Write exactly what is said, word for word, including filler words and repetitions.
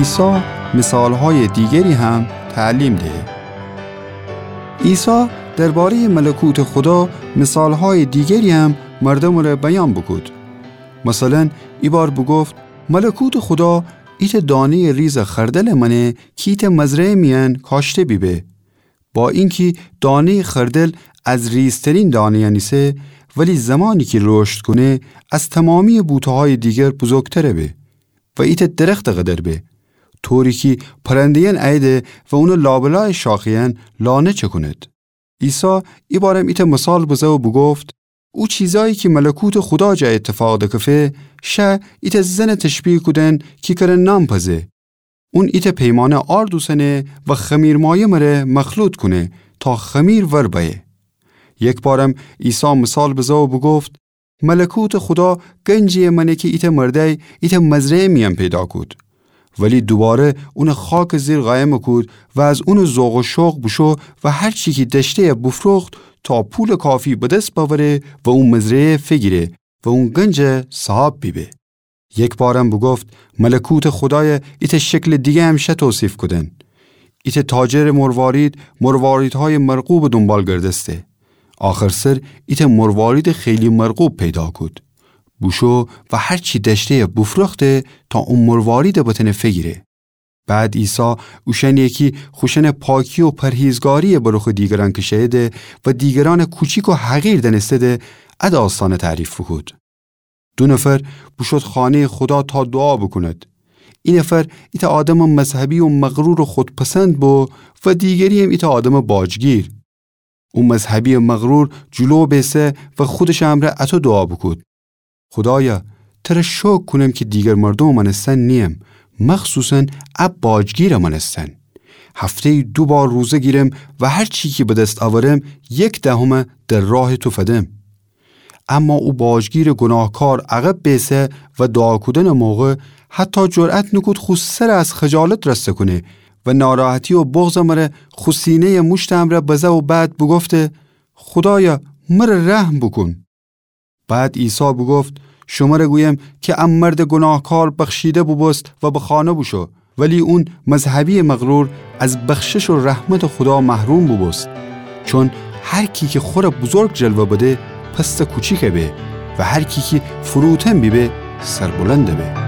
عیسی مثال‌های دیگری هم تعلیم دهه. عیسی دربارهٔ ملکوت خدا مثال‌های دیگری هم مردومٚ ره بیان بوکود. مثلاً، ایبار بوگفت: ملکوتٚ خدا ایتأ دانهٔ ریزٚ خردلٚ مأنه کی ایتأ مزرعه میأن کاشته بیبه. با اینکی دانهٔ خردل از ریزترین دانه‌یأن ایسه، ولی زمانی کی رشد کونه، از تمامییٚ بوته‌هایٚ دیگر بزرگتر به و ایتأ درختٚ قدر به، طوری کی پرنده‌یأن اییده و اونٚ لابلایٚ شاخه‌یأن لانه چکونید. عیسی ایبارم ایتأ مثال بزه و بوگفت: او چیزایی کی ملکوتٚ خدا جا ایتفاق دکفه، شه ایتأ زنٚ تشبیه کودن کی کره نان پزه. اون ایتأ پیمانه آرد اوسنه و خمیرمایه مره مخلوط کونه تا خمیر ور بأیه. یکبارم عیسی مثال بزه و بوگفت: ملکوتٚ خدا گنجیی مأنه کی ایتأ مردأی ایتأ مزرعه میأن پیدا کود. ولی دوباره اونٚ خاکٚ زیر قایم کود و از اونٚ ذوق و شوق بوشو و هر چی کی دأشته‌یه بوفروخت تا پولٚ کافی به دس بأوره و او مزرعه فیگیره و اون گنج صاحب بیبه. یکبارم بوگفت: ملکوتٚ خدای ایتأ شکلٚ دیگه‌یم شه توصیف کودن. ایتأ تاجرٚ مروارید مرواریدهایٚ مرغوبٚ دونبال گردسته. آخرسر ایتأ مرواریدٚ خیلی مرغوب پیدا کود. بوشو و هر چی دأشته‌یه بوفروخته تا او مرواریده بتأنه فیگیره. بعد عیسی اوشأنیی کی خوشأنٚ پاکی و پرهیزگاریی به رخٚ دیگرأن کشأیده و دیگرأنٚ کوچیک و حقیر دأنسته‌ده، ا داستأنه تعریف بوکود. دو نفر بوشود خانه‌یٚ خدا تا دوعا بوکوند. ای نفر ایتأ آدمٚ مذهبی و مغرورٚ خودپسند بو و دیگرییم ایتأ آدمٚ باجگیر. او مذهبییٚ مغرور جلو بیسه و خودشٚ امرأ اطو دوعا بوکود: خدایا، تره شوکر کونم کی دیگر مردومٚ مأنستن نییم، مخصوصاً ا باجگیرٚ مأنستن. هفته‌یی دو بار روزه گیرم و هر چی کی به دس اورم، یک دهمه در راهٚ تو فدم. اما او باجگیرٚ گوناهکار عقب بیسه و دوعا کودنٚ موقع حتی جرأت نوکود خو سره از خجالت رسته کونه و ناراحتی و بغضٚ مره خو سینه‌یٚ موشتٚ امرأ بزه و بعد بوگفته: خدایا، مره رحم بوکون. بعد عیسی بوگفت: شمره گویم کی ا مردٚ گوناهکار بخشیده بوبوست و به خانه بوشو، ولی اون مذهبییٚ مغرور از بخشش و رحمتٚ خدا محروم بوبوست. چون هر کی کی خوره بزرگ جلوه بده، پسٚ کوچیک به و هر کی کی فروتن بیبه، سربلند به.